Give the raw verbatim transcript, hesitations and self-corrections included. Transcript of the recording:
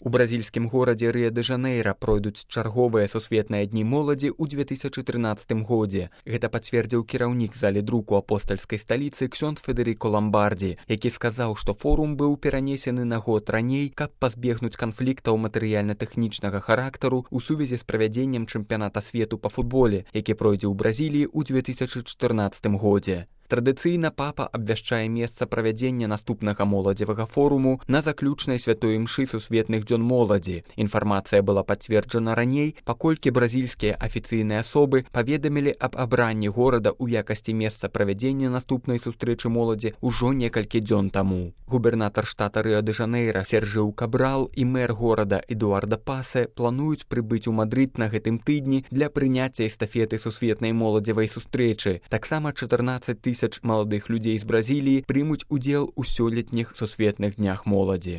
У бразільскім горадзе Рыа-дэ-Жанэйра пройдуць чарговыя сусветныя дні моладзі ў две тысячы трынаццатым годзе. Гэта пацвердзіў кіраўнік залі друку апостальскай сталіцы ксёндз Федэрыко Ламбардзі, які сказаў, што форум быў перанесены на год раней, каб пазбегнуць канфліктаў матэрыяльна-тэхнічнага характару ў сувязі з правядзеннем чэмпіяната свету па футболе, які пройдзе ў Бразіліі ў две тысячы чатырнаццатым годзе. Традыцыйна папа абвяшчае месца правядзення наступнага моладзевага форуму на заключнай святой імшы сусветных дзён моладзі. Інфармацыя была пацверджана раней, паколькі бразільскія афіцыйныя асобы паведамілі аб абранні горада ў якасці месца правядзення наступнай сустрэчы моладзі ўжо некалькі дзён таму. Губернатар штата Рыа-дэ-Жанэйра Сержыу Кабрал і мэр горада Эдуарда Пасе плануюць прыбыць у Мадрыд на гэтым тыдні для прыняцця эстафеты сусветнай моладзевай сустрэчы. Таксама чатырнаццаць тысяч маладых людзей з Бразіліі прымуць удзел у сёлетніх сусветных днях моладзі.